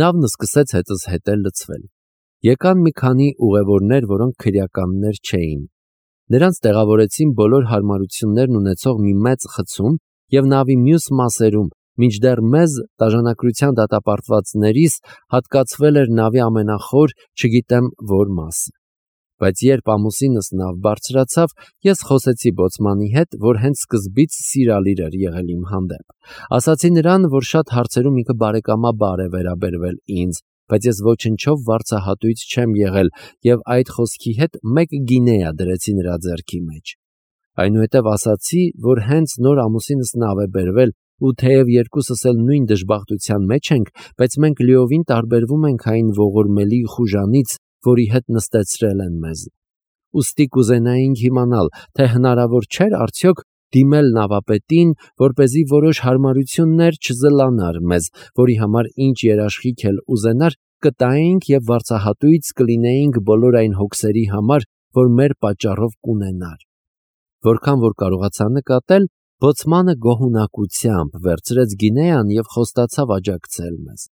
Նավն սկսեց հետս հետել լցվել։ Եկան մի քանի ուղևորներ, որոնք քրեականներ չէին։ Նրանց տեղավորեցին բոլոր հարմարություններն ունեցող մի մեծ խցում և նավի մյուս մասերում, մինչդեռ մեզ տաժանակրության դատապարտվածներիս հատկացվել էր նավի ամենախոր, չգիտեմ որ մասը։ Բայց երբ ամուսինս նավ բարձրացավ, ես խոսեցի բոցմանի հետ, որ հենց սկզբից սիրալիր էր եղել իմ հանդեպ։ Ասացի նրան, որ շատ հարցերում ինքը բարեկամաբար է վերաբերվել ինձ, բայց ես ոչնչով վարձահատույց չեմ եղել և այդ խոսքի հետ 1 գինեա դրեցի նրա ձեռքի մեջ։ Այնուհետև ասացի, որ հենց նոր ամուսինս նավ է բերվել ու թեև երկուսս էլ նույն դժբախտության մեջ ենք, բայց մենք լիովին տարբերվում ենք այն ողորմելի խուժանից, որի հետ նստեցրել են մեզ։ Ուստի կուզենայինք իմանալ, թե հնարավոր չէր արդյոք դիմել նավապետին, որպեսզի որոշ հարմարություններ չզլանար մեզ, որի համար ինչ երաշխիք էլ ուզենար, կտայինք և վարձահատույց կլինեինք բոլոր այն հոգսերի համար, որ մեր պատճառով կունենար։ Որքան որ կարողացա նկատել, բոցմանը գոհունակությամբ վերցրեց գինեան և խոստացավ աջակցել մեզ։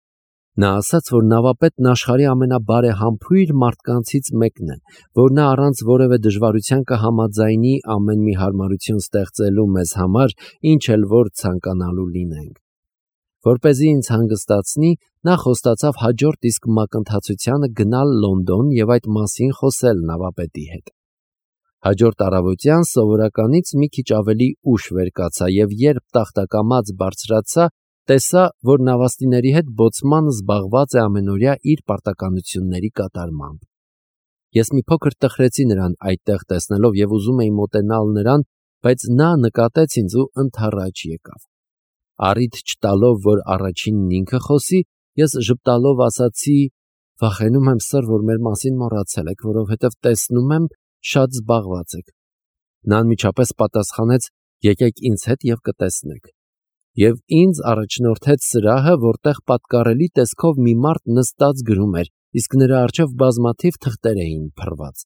Նա ասաց, որ նավապետն աշխարհի ամենաբարեհամբույր մարդկանցից մեկն է, որ նա առանց որևէ դժվարության կհամաձայնի ամեն մի հարմարություն ստեղծելու մեզ համար, ինչ էլ որ ցանկանալու լինենք։ Որպեսզի ինձ հանգստացնի, նա խոստացավ հաջորդ իսկ մակընթացությանը գնալ Լոնդոն և այդ մասին խոսել նավապետի հետ։ Հաջորդ առավոտյան սովորականից մի քիչ ավելի ուշ վեր կացա և երբ տախտակամած բարձրացա, տեսա, որ նավաստիների հետ բոցմանը զբաղված է ամենօրյա իր պարտականությունների կատարմամբ։ Ես մի փոքր տխրեցի նրան այդտեղ տեսնելով և ուզում էի մոտենալ նրան, բայց նա նկատեց ինձ ու ընդառաջ եկավ։ Առիթ չտալով, որ առաջինն ինքը խոսի, ես ժպտալով ասացի. «Վախենում եմ, սըր, որ մեր մասին մոռացել եք, որովհետև տեսնում եմ, շատ զբաղված եք»։ Նա անմիջապես պատասխանեց. «Եկեք ինձ հետ և կտեսնեք»։ Եվ ինձ առաջնորդեց սրահը, որտեղ պատկառելի տեսքով մի մարդ նստած գրում էր, իսկ նրա առջև բազմաթիվ թղթեր էին փռված։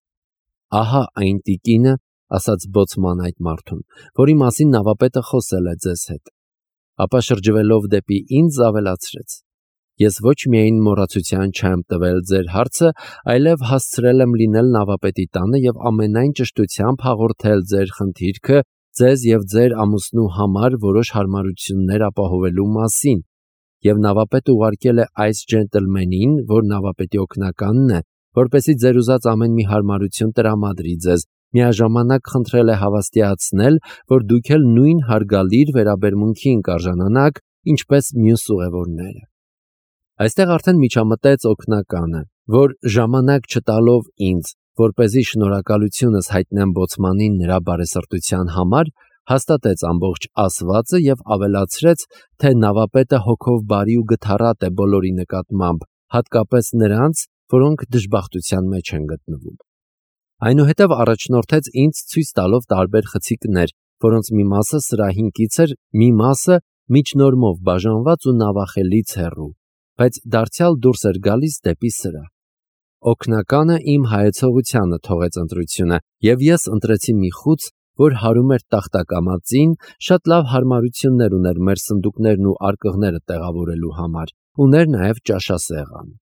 «Ահա այն տիկինը», ասաց բոցմանը այդ մարդուն, «որի մասին նավապետը խոսել է ձեզ հետ»։ Ապա շրջվելով դեպի ինձ ավելացրեց. «Ես ոչ միայն մոռացության չեմ տվել ձեր հարցը, այլև հասցրել եմ լինել նավապետի տանը և ամենայն ճշտությամբ հաղորդել ձեր խնդիրքը ձեզ և ձեր ամուսնու համար որոշ հարմարություններ ապահովելու մասին, և նավապետը ուղարկել է այս ջենտլմենին, որ նավապետի օգնականն է, որպեսզի ձեր ուզած ամեն մի հարմարություն տրամադրի ձեզ, միաժամանակ խնդրել է հավաստիացնել, որ դուք էլ նույն հարգալիր վերաբերմունքին կարժանանաք, ինչպես մյուս ուղևորները»։ Այստեղ արդեն միջամտեց օգնականը, որ ժամանակ չտալով ինձ, որպեսզի շնորհակալությունս հայտնեմ բոցմանին նրա բարեսրտության համար, հաստատեց ամբողջ ասվածը և ավելացրեց, թե նավապետը հոգով բարի ու գթառատ է բոլորի նկատմամբ, հատկապես նրանց, որոնք դժբախտության մեջ են գտնվում։ Այնուհետև առաջնորդեց ինձ ցույց տալով տարբեր խցիկներ, որոնց մի մասը սրահին կից էր, մի մասը միջնորմով բաժանված ու նավախելից հեռու, բայց դարձյալ դուրս էր գալիս դեպի սրահ։ Օգնականը իմ հայեցողությանը թողեց ընտրությունը, և ես ընտրեցի մի խուց, որ հարում էր տախտակամածին, շատ լավ հարմարություններ ուներ մեր սնդուկներն ու արկղները տեղավորելու համար, ուներ նաև ճաշասեղան։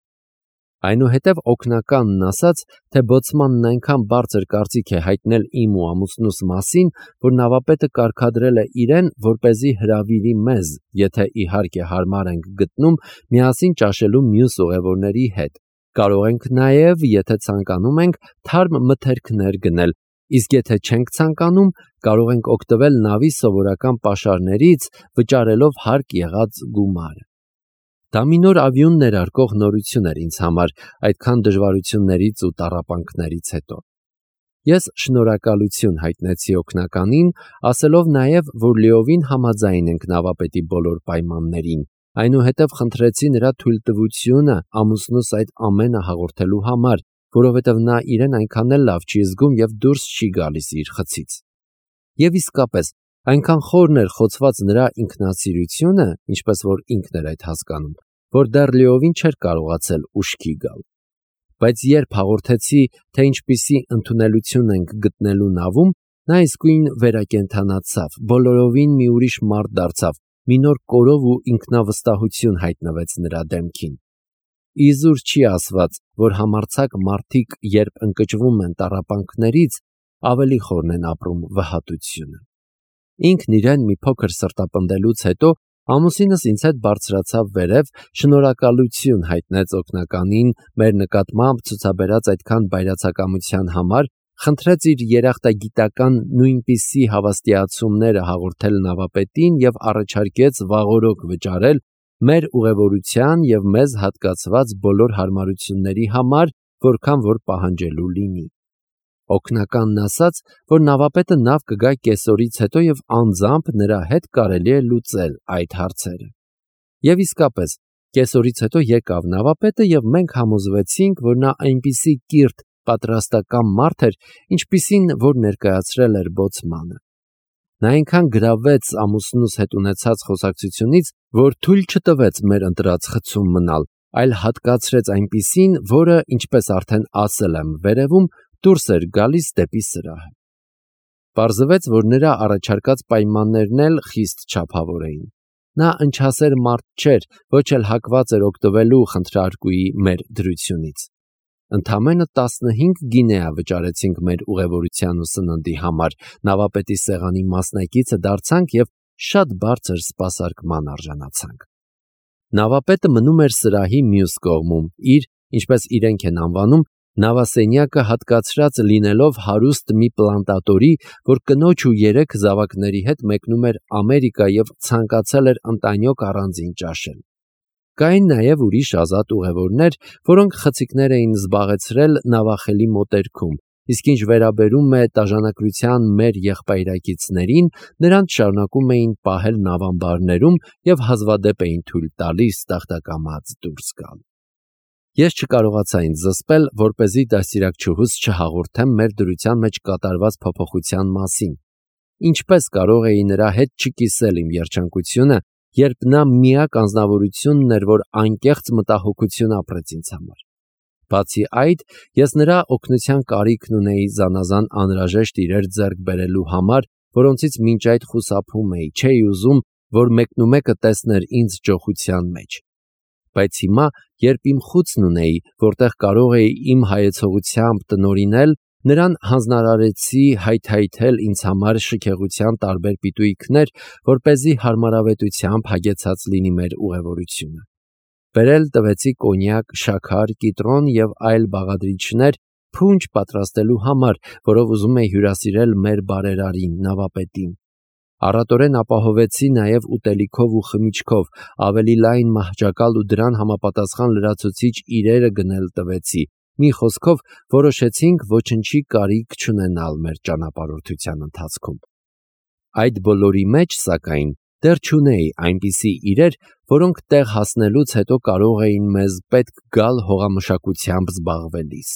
Այնուհետև օգնականն ասաց, թե բոցմանն այնքան բարձր կարծիք է հայտնել իմ ու ամուսնուս մասին, որ նավապետը կարգադրել է իրեն, որպեսզի հրավիրի մեզ, եթե իհարկե հարմար ենք գտնում, միասին ճաշելու մյուս ուղևորների հետ։ Կարող ենք նաև, եթե ցանկանում ենք, թարմ մթերքներ գնել, իսկ եթե չենք ցանկանում, կարող ենք օգտվել նավի սովորական պաշարներից, վճարելով հարկ եղած գումարը։ Դա մի նոր ավիոն ներարկող նորություն էր ինձ համար, այդքան դժվարություններից ու տառապանքներից հետո։ Ես շնորհակալություն հայտնեցի օգնականին, ասելով նաև, որ լիովին համաձայն ենք նավապետի բոլոր պայմաններին, այնուհետև խնդրեցի նրա թույլտվությունը ամուսնուս այդ ամենը հաղորդելու համար, որովհետև նա իրեն այնքան էլ լավ չի զգում և դուրս չի գալիս իր խցից։ Եվ իսկապես, այնքան խորն էր խոցված նրա ինքնասիրությունը, ինչպես որ ինքն էր այդ հասկանում, որ դեռ լիովին չէր կարողացել ուշքի գալ։ Բայց երբ հաղորդեցի, թե ինչպիսի ընդունելություն ենք գտնելու նավում, նա իսկույն վերակենդանացավ, բոլորովին մի ուրիշ մարդ դարձավ, մի նոր կորով ու ինքնավստահություն հայտնվեց նրա դեմքին։ Իզուր չի ասված, որ համարձակ մարդիկ, երբ ընկճվում են տառապանքներից, ավելի խորն են ապրում վհատությունը։ Ինքն իրեն մի փոքր սրտապնդելուց հետո ամուսինս ինձ հետ բարձրացավ վերև, շնորհակալություն հայտնեց օգնականին մեր նկատմամբ ցուցաբերած այդքան բայրացակամության համար, խնդրեց իր երախտագիտական նույնպիսի հավաստիացումները հաղորդել նավապետին և առաջարկեց վաղօրոք վճարել մեր ուղևորության և մեզ հատկացված բոլոր հարմարությունների համար, որքան որ պահանջելու լինի։ Օգնականն ասաց, որ նավապետը նավ կգա կեսօրից հետո և անձամբ նրա հետ կարելի է լուծել այդ հարցերը։ Եվ իսկապես, կեսօրից հետո եկավ նավապետը և մենք համոզվեցինք, որ նա այնպիսի կիրթ պատրաստակամ մարդ էր, ինչպիսին որ ներկայացրել էր բոցմանը։ Նա այնքան գրավվեց ամուսնուս հետ ունեցած խոսակցությունից, որ թույլ չտվեց մեր ընտրած խցում մնալ, այլ հատկացրեց այնպիսին, որը, ինչպես արդեն ասել եմ վերևում, դուրս էր գալիս դեպի սրահը։ Պարզվեց, որ նրա առաջարկած պայմաններն էլ խիստ չափավոր էին։ Նա ընչասեր մարդ չէր, ոչ էլ հակված էր օգտվելու խնդրարկուի մեր դրությունից։ Ընդամենը 15 գինեա վճարեցինք մեր ուղևորության ու սննդի համար, նավապետի սեղանի մասնակիցը դարձանք և շատ բարձր սպասարկման արժանացանք։ Նավապետը մնում էր սրահի մյուս կողմում, իր, ինչպես իրենք են անվանում, նավասենյակը հատկացրած լինելով հարուստ մի պլանտատորի, որ կնոջ ու 3 զավակների հետ մեկնում էր Ամերիկա և ցանկացել էր ընտանյոք առանձին ճաշել։ Կային նաև ուրիշ ազատ ուղևորներ, որոնք խցիկներ էին զբաղեցրել նավախելի մոտերքում, իսկ ինչ վերաբերում է տաժանակրության մեր եղբայրակիցներին, նրանց շարունակում էին պահել նավամբարներում և հազվադեպ էին թույլ տալիս տախտակամած դուրս գալ։ Ես չկարողացա ինձ զսպել, որպեսզի դաստիարակչուհուս չհաղորդեմ մեր դրության մեջ կատարված փոփոխության մասին։ Ինչպես կարող էի նրա հետ չկիսել իմ երջանկությունը, երբ նա միակ անձնավորությունն էր, որ անկեղծ մտահոգություն ապրեց ինձ համար։ Բացի այդ, ես նրա օգնության կարիքն ունեի զանազան անհրաժեշտ իրեր ձեռք բերելու համար, որոնցից մինչ այդ խուսափում էի, չէի ուզում, որ մեկնումեկը տեսներ ինձ ճոխության մեջ։ Բայց հիմա, երբ իմ խուցն ունեի, որտեղ կարող էի իմ հայեցողությամբ տնօրինել, նրան հանձնարարեցի հայթայթել ինձ համար շքեղության տարբեր պիտույքներ, որպեսզի հարմարավետությամբ հագեցած լինի մեր ուղևորությունը։ Բերել տվեցի կոնյակ, շաքար, կիտրոն և այլ բաղադրիչներ փունջ պատրաստելու համար, որով ուզում էի հյուրասիրել մեր բարերարին, նավապետին։ Առատորեն ապահովեցի նաև ուտելիքով ու խմիչքով, ավելի լայն մահճակալ ու դրան համապատասխան լրացուցիչ իրերը գնել տվեցի։ Մի խոսքով, որոշեցինք ոչնչի կարիք չունենալ մեր ճանապարհորդության ընթացքում։ Այդ բոլորի մեջ, սակայն, դեռ չունեի այնպիսի իրեր, որոնք տեղ հասնելուց հետո կարող էին մեզ պետք գալ հողամշակությամբ զբաղվելիս։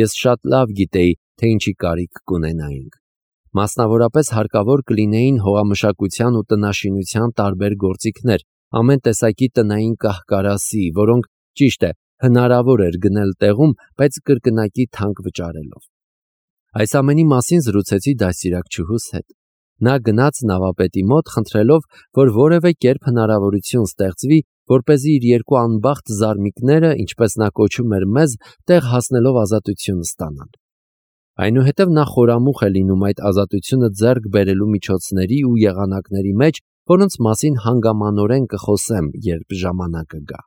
Ես շատ լավ գիտեի, թե ինչի կարիք կունենայինք։ Մասնավորապես հարկավոր կլինեին հողամշակության ու տնաշինության տարբեր գործիքներ, ամեն տեսակի տնային կահ-կարասի, որոնք, ճիշտ է, հնարավոր էր գնել տեղում, բայց կրկնակի թանկ վճարելով։ Այս ամենի մասին զրուցեցի դաստիարակչուհուս հետ։ Նա գնաց նավապետի մոտ, խնդրելով, որ որևէ կերպ հնարավորություն ստեղծվի, որպեսզի իր 2 անբախտ զարմիկները, ինչպես նա կոչում էր մեզ, տեղ հասնելով ազատություն ստանան։ Այնուհետև նա խորամուխ է լինում այդ ազատությունը ձեռք բերելու միջոցների ու եղանակների մեջ, որոնց մասին հանգամանորեն կխոսեմ, երբ ժամանակը գա։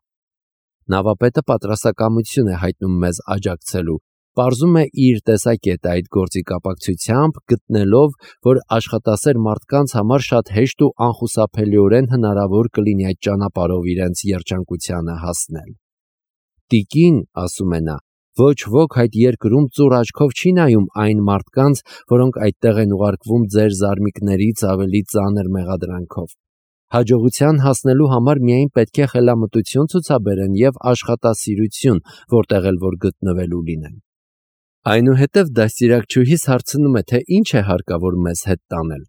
Նավապետը պատրաստակամություն է հայտնում մեզ աջակցելու, պարզում է իր տեսակետը այդ գործի կապակցությամբ, գտնելով, որ աշխատասեր մարդկանց համար շատ հեշտ ու անխուսափելիորեն հնարավոր կլինի այդ ճանապարհով իրենց երջանկությանը հասնել։ Տիկին, ասում է նա, ոչ ոք այդ երկրում ծուռ աչքով չի նայում այն մարդկանց, որոնք այդտեղ են ուղարկվում ձեր զարմիկներից ավելի ծանր մեղադրանքով։ Հաջողության հասնելու համար միայն պետք է խելամտություն ցուցաբերեն և աշխատասիրություն, որտեղ էլ որ գտնվելու լինեն։ Այնուհետև դաստիարակչուհիս հարցնում է, թե ինչ է հարկավոր մեզ հետ տանել։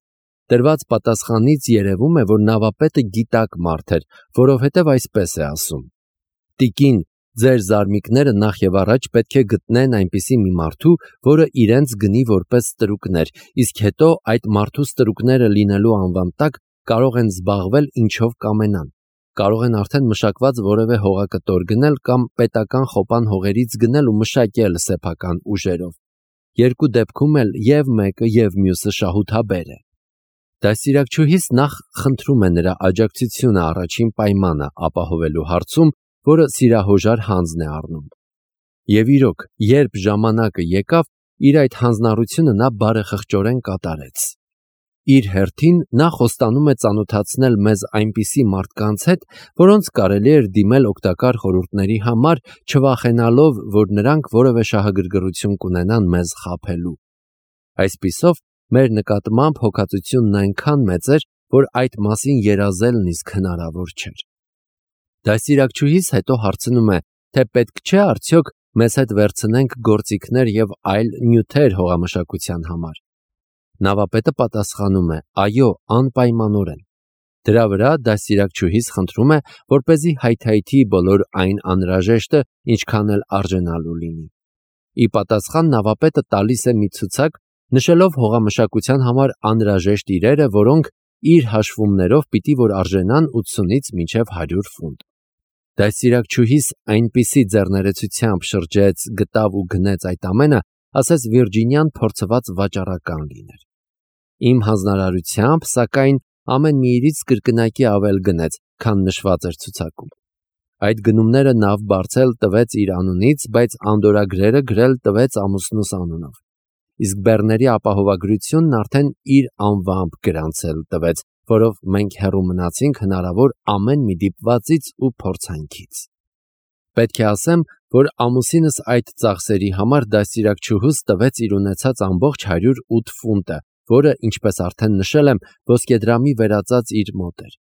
Տրված պատասխանից երևում է, որ նավապետը գիտակ մարդ էր, որովհետև այսպես է ասում. «Տիկին, ձեր զարմիկները նախ եւ առաջ պետք է գտնեն այնպիսի մի մարդու, որը իրենց գնի որպես ստրուկներ, իսկ հետո այդ մարդու ստրուկները լինելու անվան տակ կարող են զբաղվել ինչով կամենան։ կարող են արդեն մշակված որևէ հողակտոր գնել կամ պետական խոպան հողերից գնել ու մշակել սեփական ուժերով։ Երկու դեպքում էլ եւ մեկը եւ մյուսը շահութաբեր է։ Դաստիարակչուհիս նախ խնդրում է նրա աջակցությունը առաջին պայմանը ապահովելու հարցում, որը սիրահոժար հանձն է առնում։ Եվ իրոք, երբ ժամանակը եկավ, իր այդ հանձնառությունը նա բարեխղճորեն կատարեց։ Իր հերթին նա խոստանում է ծանոթացնել մեզ այնպիսի մարդկանց հետ, որոնց կարելի էր դիմել օգտակար խորհուրդների համար, չվախենալով, որ նրանք որևէ շահագրգռություն կունենան մեզ խաբելու։ Այսպիսով, մեր նկատմամբ հոգածությունն այնքան մեծ էր, որ այդ մասին երազելն իսկ հնարավոր չէր։ Դաստիարակչուհիս հետո հարցնում է, թե պետք չէ արդյոք մեզ հետ վերցնենք գործիքներ եւ այլ նյութեր հողամշակության համար։ Նավապետը պատասխանում է. այո, անպայմանորեն։ Դրա վրա դաստիարակչուհիս խնդրում է, որպեսզի հայթայթի բոլոր այն անհրաժեշտը, ինչքան էլ արժանալու լինի։ Ի պատասխան նավապետը տալիս է մի ցուցակ, նշելով հողամշակության համար անհրաժեշտ իրերը, որոնք իր հաշվումներով պիտի որ արժենան 80-ից մինչև 100 ֆունտ։ Դաստիարակչուհիս այնպիսի ձեռներեցությամբ շրջեց, գտավ ու գնեց այդ ամենը, ասես Վիրջինիան փորձված վաճառական լիներ։ Իմ հանձնարարությամբ, սակայն, ամեն մի իրից կրկնակի ավել գնեց, քան նշված էր ցուցակում։ Այդ գնումները նավ բարձել տվեց իր անունից, բայց անդորագրերը գրել տվեց ամուսնուս անունով։ Իսկ բեռների ապահովագրությունն արդեն իր անվամբ գրանցել տվեց, որով մենք հեռու մնացինք հնարավոր ամեն մի դիպվածից ու փորձանքից։ Պետք է ասեմ, որ ամուսինս այդ ծախսերի համար դաստիարակչուհուս տվեց իր ունեցած ամբողջ 108 ֆունտը, որը, ինչպես արդեն նշել եմ, ոսկեդրամի վերածած իր մոտ էր։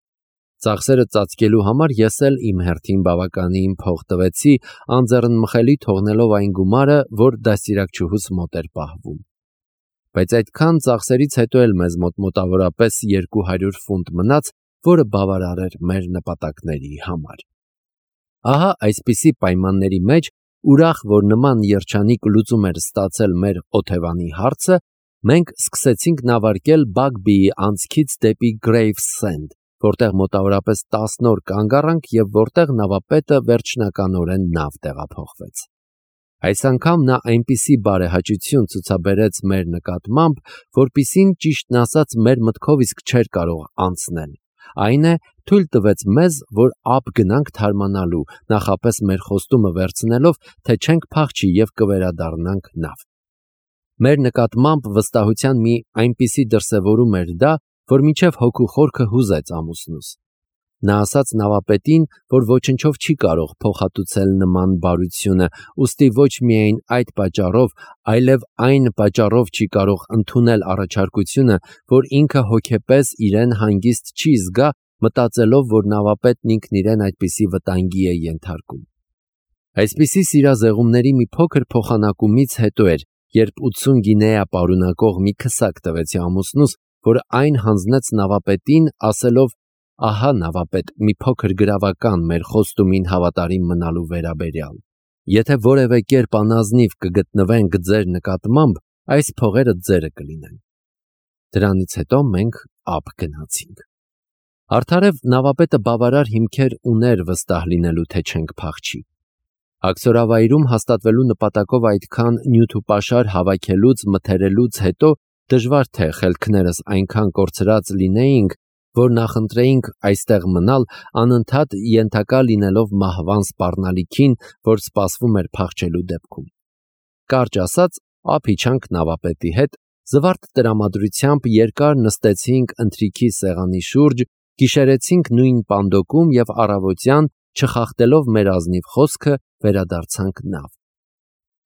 Ծախսերը ծածկելու համար ես էլ իմ հերթին բավականին փող տվեցի, անձեռնմխելի թողնելով այն գումարը, որ դաստիարակչուհուս մոտ էր պահվում։ Բայց այդքան ծախսերից հետո էլ մեզ մոտ մոտավորապես 200 ֆունտ մնաց, որը բավարար էր մեր նպատակների համար։ Ահա այսպիսի պայմանների մեջ, ուրախ, որ նման երջանիկ լուծում էր ստացել մեր օթևանի հարցը, մենք սկսեցինք նավարկել Բագբիի անցքից դեպի Գրեյվսենդ, որտեղ մոտավորապես 10 օր կանգ առանք եւ որտեղ նավապետը վերջնականորեն նավ տեղափոխվեց։ Այս անգամ նա այնպիսի բարեհաճություն ցուցաբերեց մեր նկատմամբ, որպիսին ճիշտն ասած մեր մտքով իսկ չէր կարող անցնել։ Այն է, թույլ տվեց մեզ, որ ափ գնանք թարմանալու, նախապես մեր խոստումը վերցնելով, թե չենք փախչի եւ կվերադառնանք նավ։ Մեր նկատմամբ վստահության մի այնպիսի դրսևորում էր դա, որ մինչև հոգու խորքը հուզեց ամուսնուս։ Նա ասաց նավապետին, որ ոչնչով չի կարող փոխհատուցել նման բարությունը, ուստի ոչ միայն այդ պատճառով, այլև այն պատճառով չի կարող ընդունել առաջարկությունը, որ ինքը հոգեպես իրեն հանգիստ չի զգա, մտածելով, որ նավապետն ինքն իրեն այդպիսի վտանգի է ենթարկում։ Այսպիսի սիրազեղումների մի փոքր փոխանակումից հետո էր, երբ 80 գինեա պարունակող մի քսակ տվեցի ամուսնուս, որ այն հանձնեց նավապետին, ասելով. ահա նավապետ, մի փոքր գրավական մեր խոստումին հավատարիմ մնալու վերաբերյալ։ Եթե որևէ կերպ անազնիվ կգտնվենք ձեր նկատմամբ, այս փողերը ձերը կլինեն։ Դրանից հետո մենք ափ գնացինք։ Արդարև նավապետը բավարար հիմքեր ուներ վստահ լինելու, թե չենք փախչի։ Աքսորավայրում հաստատվելու նպատակով այդքան նյութ ու պաշար հավաքելուց մթերելուց հետո դժվար թե խելքներս այնքան կորցրած լինեինք, որ նախընտրեինք այստեղ մնալ, անընդհատ ենթակա լինելով մահվան սպառնալիքին, որ սպասվում էր փախչելու դեպքում։ Կարճ ասած, ափ իջանք նավապետի հետ, զվարթ տրամադրությամբ երկար նստեցինք ընթրիքի սեղանի շուրջ, գիշերեցինք նույն պանդոկում եւ առավոտյան, չխախտելով մեր ազնիվ խոսքը, վերադարձանք նավ։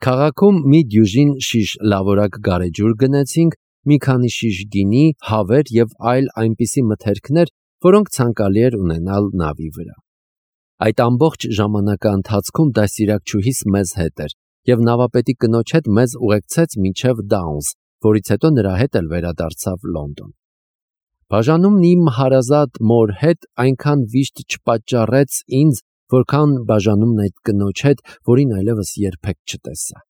Քաղաքում մի դյուժին շիշ լավորակ գարեջուր գնեցինք, մի քանի շիշ գինի, հավեր եւ այլ այնպիսի մթերքներ, որոնք ցանկալի էր ունենալ նավի վրա։ Այդ ամբողջ ժամանակը ընթացքում դաստիարակչուհիս մեզ հետ էր եւ նավապետի կնոջ հետ մեզ ուղեկցեց մինչև Դաունս, որից հետո նրա հետ էլ վերադարձավ Լոնդոն։ Բաժանումն իմ հարազատ մոր հետ այնքան վիշտ չպատճառեց ինձ, որքան բաժանումն այդ կնոջ հետ, որին այլևս երբեք չտեսա։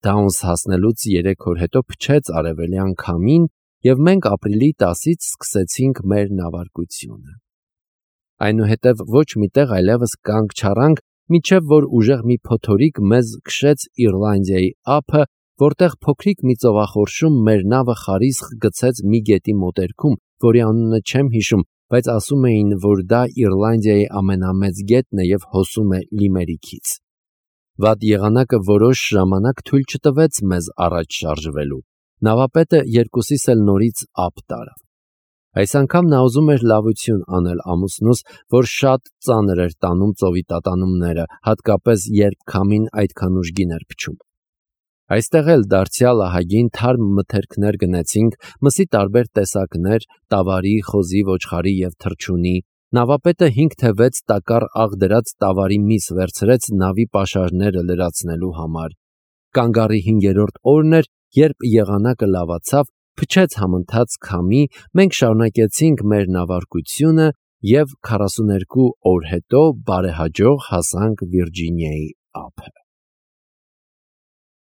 Դաունս հասնելուց 3 օր հետո փչեց արևելյան քամին, եւ մենք ապրիլի 10-ից սկսեցինք մեր նավարկությունը։ Այնուհետև ոչ մի տեղ այլևս կանգ չառանք, մինչև որ ուժեղ մի փոթորիկ մեզ քշեց Իռլանդիայի ափը, որտեղ փոքրիկ մի ծովախորշում մեր նավը խարիսխ գցեց մի գետի մոտերքում, որի անունը չեմ հիշում, բայց ասում էին, որ դա Իռլանդիայի ամենամեծ գետն է և հոսում է Լիմերիքից։ Վատ եղանակը որոշ ժամանակ թույլ չտվեց մեզ առաջ շարժվելու։ Նավապետը երկուսիս էլ նորից ափ տարավ։ Այս անգամ նա ուզում էր լավություն անել ամուսնուս, որ շատ ծանր էր տանում ծովի տատանումները, հատկապես երբ քամին այդքան ուժգին էր փչում։ Այստեղ էլ դարձյալ ահագին թարմ մթերքներ գնեցինք, մսի տարբեր տեսակներ, տավարի, խոզի, ոչխարի և թռչունի։ Նավապետը 5 թե 6 տակառ աղ դրած տավարի միս վերցրեց նավի պաշարները լրացնելու համար։ Կանգառի 5-րդ օրն էր, երբ եղանակը լավացավ, փչեց համընթաց քամի, մենք շարունակեցինք մեր նավարկությունը և 42 օր հետո բարեհաջող հասանք Վիրջինիայի ափը։